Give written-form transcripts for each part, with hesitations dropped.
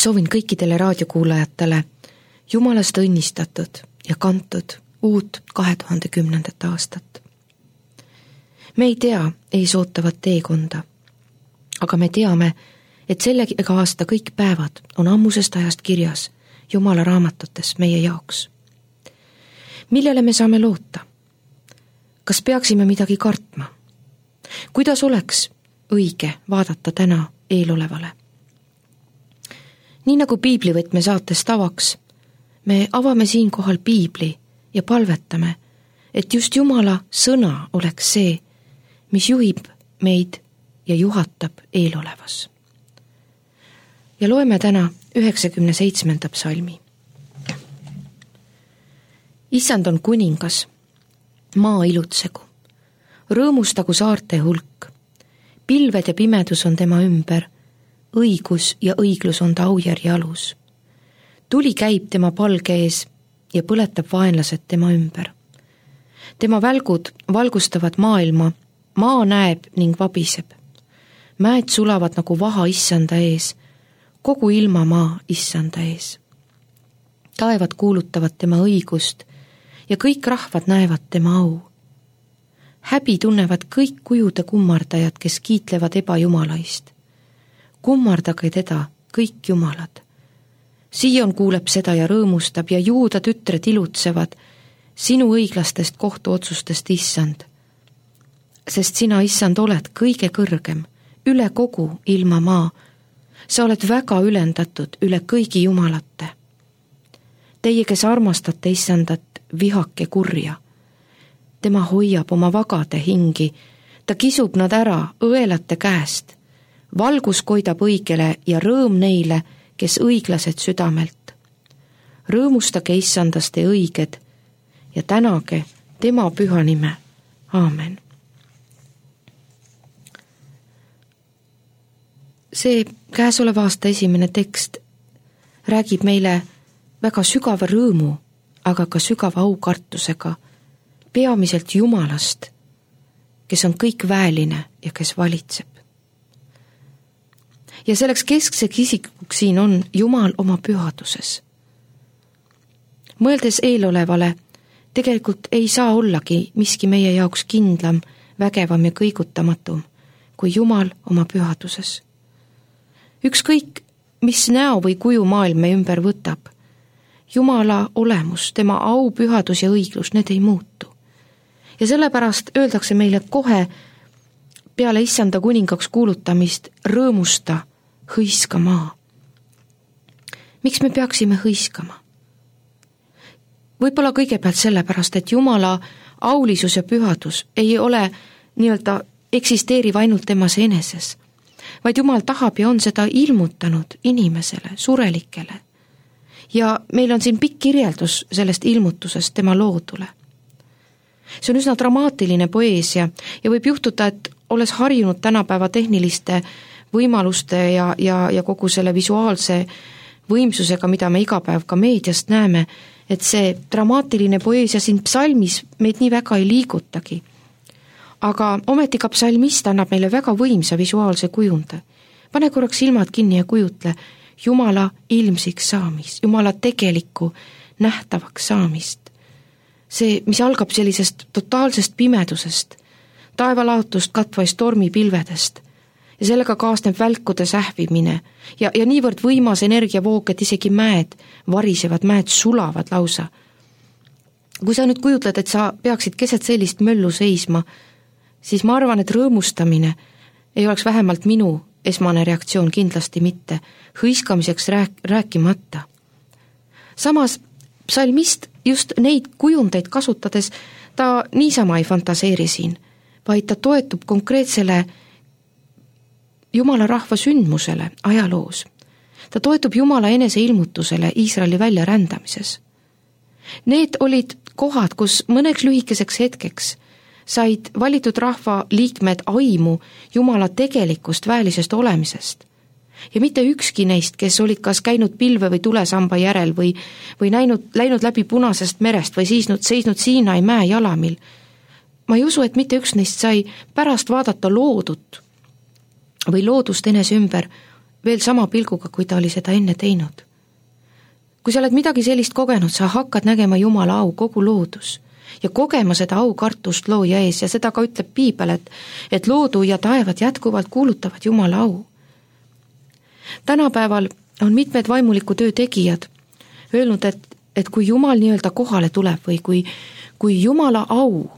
soovin kõikidele raadiokuulajatele Jumalast õnnistatud ja kantud uut 2010. aastat. Me ei tea ees ootavat teekonda, aga me teame, et sellega aasta kõik päevad on ammusest ajast kirjas Jumala raamatutes meie jaoks. Millele me saame loota? Kas peaksime midagi kartma? Kuidas oleks õige vaadata täna eelolevale? Nii nagu piiblivõtme saates tavaks, me avame siinkohal piibli ja palvetame, et just Jumala sõna oleks see, mis juhib meid ja juhatab eelolevas. Ja loeme täna 97. psalmi. Issand on kuningas, maa ilutsegu, rõõmustagu saarte hulk, pilved ja pimedus on tema ümber, õigus ja õiglus on ta aujärje alus. Tuli käib tema palge ees ja põletab vaenlased tema ümber. Tema välgud valgustavad maailma, maa näeb ning vabiseb. Mäed sulavad nagu vaha issanda ees, kogu ilmamaa issanda ees. Taevad kuulutavad tema õigust ja kõik rahvad näevad tema au. Häbi tunnevad kõik kujude kummardajad, kes kiitlevad ebajumalaist. Kummardage teda kõik jumalad. Sion kuuleb seda ja rõõmustab ja Juuda tütred ilutsevad sinu õiglastest kohtuotsustest, issand. Sest sina, issand, oled kõige kõrgem, üle kogu ilmamaa. Sa oled väga ülendatud üle kõigi jumalate. Teie, kes armastate issandat, vihake kurja. Tema hoiab oma vagade hingi, ta kisub nad ära õelate käest. Valgus koidab õigele ja rõõm neile, kes õiglased südamelt. Rõõmustage issandast ja õiged ja tänage tema püha nime. Aamen. See käesoleva aasta esimene tekst räägib meile väga sügava rõõmu, aga ka sügava aukartusega peamiselt Jumalast, kes on kõik väeline ja kes valitseb. Ja selleks keskseks isikuks siin on Jumal oma pühaduses. Mõeldes eelolevale, tegelikult ei saa ollagi miski meie jaoks kindlam, vägevam ja kõigutamatum kui Jumal oma pühaduses. Ükskõik, mis näo või kuju maailm me ümber võtab, Jumala olemus, tema au, pühadus ja õiglus, need ei muutu. Ja sellepärast öeldakse meile kohe peale issanda kuningaks kuulutamist rõõmusta, hõiska maa. Miks me peaksime hõiskama? Võib-olla kõigepealt sellepärast, et Jumala aulisus ja pühadus ei ole nii-öelda eksisteeriv ainult temas eneses, vaid Jumal tahab ja on seda ilmutanud inimesele, surelikele. Ja meil on siin pikk kirjeldus sellest ilmutusest tema loodule. See on üsna dramaatiline poeesia ja võib juhtuda, et olles harjunud tänapäeva tehniliste võimaluste ja kogu selle visuaalse võimsusega, mida me iga päev ka meediast näeme, et see dramaatiline poeesia siin psalmis meid nii väga ei liigutagi. Aga ometi ka psalmist annab meile väga võimsa visuaalse kujunde. Pane korraks silmad kinni ja kujutle Jumala ilmsiks saamist, Jumala tegelikku nähtavaks saamist. See, mis algab sellisest totaalsest pimedusest, taevalaotust katvaist tormipilvedest ja sellega kaasneb välkude sähvimine ja niivõrd võimas energiavoog, et isegi mäed varisevad, mäed sulavad lausa. Kui sa nüüd kujutled, et sa peaksid keset sellist möllu seisma, siis ma arvan, et rõõmustamine ei oleks vähemalt minu esmane reaktsioon, kindlasti mitte, hõiskamiseks rääkimata. Samas psalmist just neid kujundeid kasutades ta niisama ei fantaseeri siin, vaid ta toetub konkreetsele Jumala rahva sündmusele ajaloos. Ta toetub Jumala eneseilmutusele Iisraeli väljarändamises. Need olid kohad, kus mõneks lühikeseks hetkeks said valitud rahva liikmed aimu Jumala tegelikust väelisest olemisest. Ja mitte ükski neist, kes olid kas käinud pilve või tulesamba järel või läinud läbi Punasest merest või seisnud Siinai mäe jalamil. Ma ei usu, et mitte üks neist sai pärast vaadata loodut või loodust enese ümber veel sama pilguga, kui ta oli seda enne teinud. Kui sa oled midagi sellist kogenud, sa hakkad nägema Jumala au kogu loodus ja kogema seda aukartust looja ees ja seda ka ütleb Piibel, et loodu ja taevad jätkuvalt kuulutavad Jumala au. Tänapäeval on mitmed vaimuliku töö tegijad öelnud, et kui Jumal nii-öelda kohale tuleb või kui Jumala au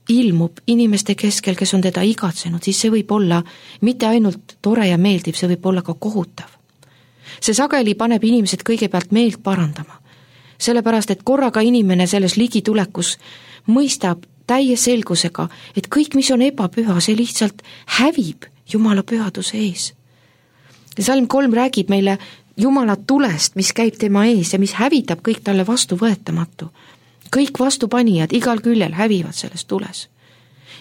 ilmub inimeste keskel, kes on teda igatsenud, siis see võib olla mitte ainult tore ja meeldiv, see võib olla ka kohutav. See sageli paneb inimesed kõigepealt meelt parandama, sellepärast et korraga inimene selles ligitulekus mõistab täie selgusega, et kõik, mis on ebapüha, see lihtsalt hävib Jumala pühaduse ees. Ja Salm 3 räägib meile Jumala tulest, mis käib tema ees ja mis hävitab kõik talle vastuvõetamatu. Kõik vastupanijad igal küljel hävivad selles tules.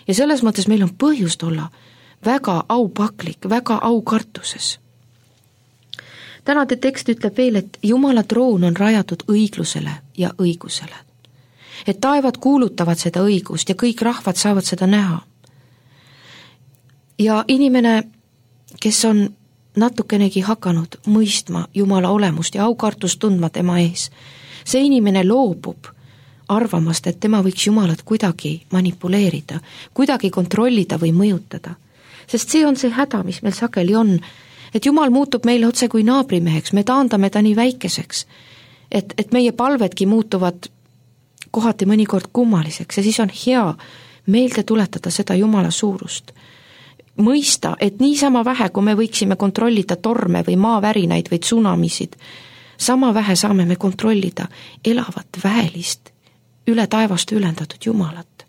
Ja selles mõttes meil on põhjust olla väga aupaklik, väga aukartuses. Tänade tekst ütleb veel, et Jumala troon on rajatud õiglusele ja õigusele. Et taevad kuulutavad seda õigust ja kõik rahvad saavad seda näha. Ja inimene, kes on natukenegi hakanud mõistma Jumala olemust ja aukartust tundma tema ees, see inimene loobub arvamast, et tema võiks Jumalat kuidagi manipuleerida, kuidagi kontrollida või mõjutada. Sest see on see häda, mis meil sageli on, et Jumal muutub meile otse kui naabrimeheks, me taandame ta nii väikeseks, et meie palvedki muutuvad kohati mõnikord kummaliseks ja siis on hea meelde tuletada seda Jumala suurust. Mõista, et niisama vähe, kui me võiksime kontrollida torme või maavärinaid või tsunamisid, sama vähe saame me kontrollida elavat väelist, üle taevast ülendatud Jumalat.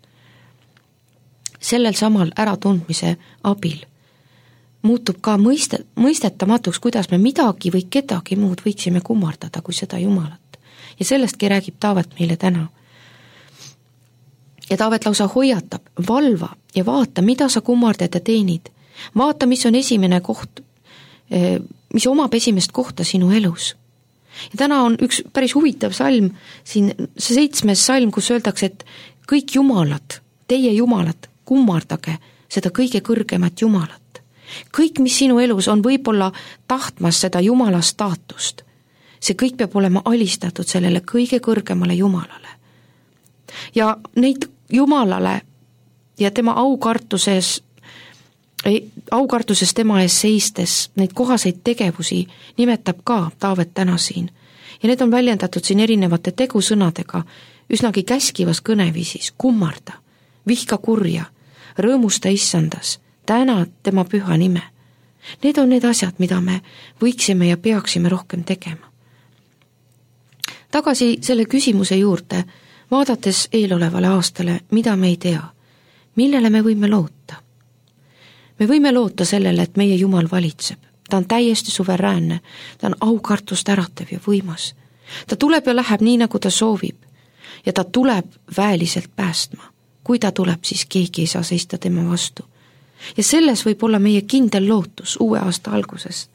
Sellel samal äratundmise abil muutub ka mõistetamatuks, kuidas me midagi või kedagi muud võiksime kummardada kui seda Jumalat. Ja sellestki räägib Taavet meile täna. Ja Taavet lausa hoiatab, valva ja vaata, mida sa kummardad ja teenid. Vaata, mis on esimene koht, mis omab esimest kohta sinu elus. Ja täna on üks päris huvitav salm, siin 7. salm, kus öeldakse, et kõik jumalad, teie jumalad, kummardage seda kõige kõrgemat Jumalat. Kõik, mis sinu elus on võib-olla tahtmas seda Jumala staatust, see kõik peab olema alistatud sellele kõige kõrgemale Jumalale. Ja neid Jumalale ja tema aukartuses tema ees seistes neid kohaseid tegevusi nimetab ka Taavet täna siin. Ja need on väljendatud siin erinevate tegusõnadega, üsnagi käskivas kõneviisis, kummarda, vihka kurja, rõõmusta issandas, täna tema püha nime. Need on need asjad, mida me võiksime ja peaksime rohkem tegema. Tagasi selle küsimuse juurde, vaadates eelolevale aastale, mida me ei tea, millele me võime loota. Me võime loota sellele, et meie Jumal valitseb. Ta on täiesti suveräänne, ta on aukartust äratav ja võimas. Ta tuleb ja läheb nii, nagu ta soovib. Ja ta tuleb väeliselt päästma. Kui ta tuleb, siis keegi ei saa seista tema vastu. Ja selles võib olla meie kindel lootus uue aasta alguses.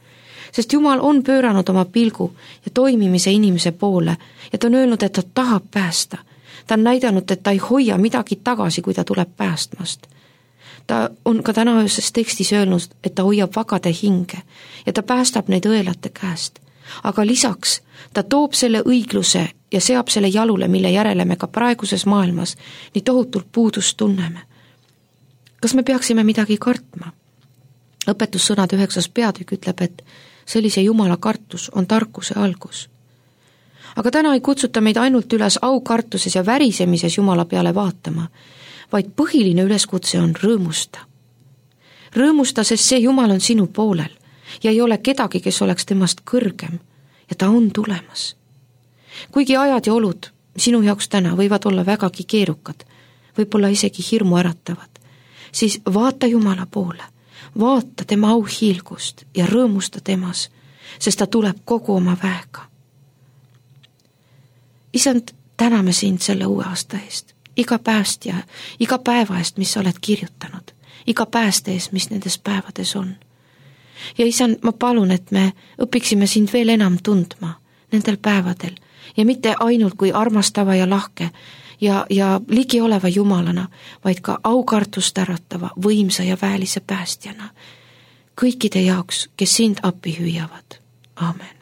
Sest Jumal on pööranud oma pilgu ja toimimise inimese poole ja ta on öelnud, et ta tahab päästa. Ta on näidanud, et ta ei hoia midagi tagasi, kui ta tuleb päästmast. Ta on ka täna ööses tekstis öelnud, et ta hoiab vagade hinge ja ta päästab neid õelate käest. Aga lisaks ta toob selle õigluse ja seab selle jalule, mille järele me ka praeguses maailmas nii tohutult puudust tunneme. Kas me peaksime midagi kartma? Õpetussõnade 9. peatükk ütleb, et sellise Jumala kartus on tarkuse algus. Aga täna ei kutsuta meid ainult üles aukartuses ja värisemises Jumala peale vaatama, vaid põhiline üleskutse on rõõmusta. Rõõmusta, sest see Jumal on sinu poolel ja ei ole kedagi, kes oleks temast kõrgem ja ta on tulemas. Kuigi ajad ja olud sinu jaoks täna võivad olla vägagi keerukad, võib-olla isegi hirmu äratavad, siis vaata Jumala poole, vaata tema auhiilgust ja rõõmusta temas, sest ta tuleb kogu oma väega. Isand, täname sind selle uue aasta eest, iga päevast ja iga päeva eest, mis sa oled kirjutanud, iga pääste eest, mis nendes päevades on. Ja isand, ma palun, et me õpiksime sind veel enam tundma nendel päevadel ja mitte ainult kui armastava ja lahke ja ligioleva Jumalana, vaid ka aukartust äratava, võimsa ja väelise päästjana, kõikide jaoks, kes sind appi hüüavad. Aamen.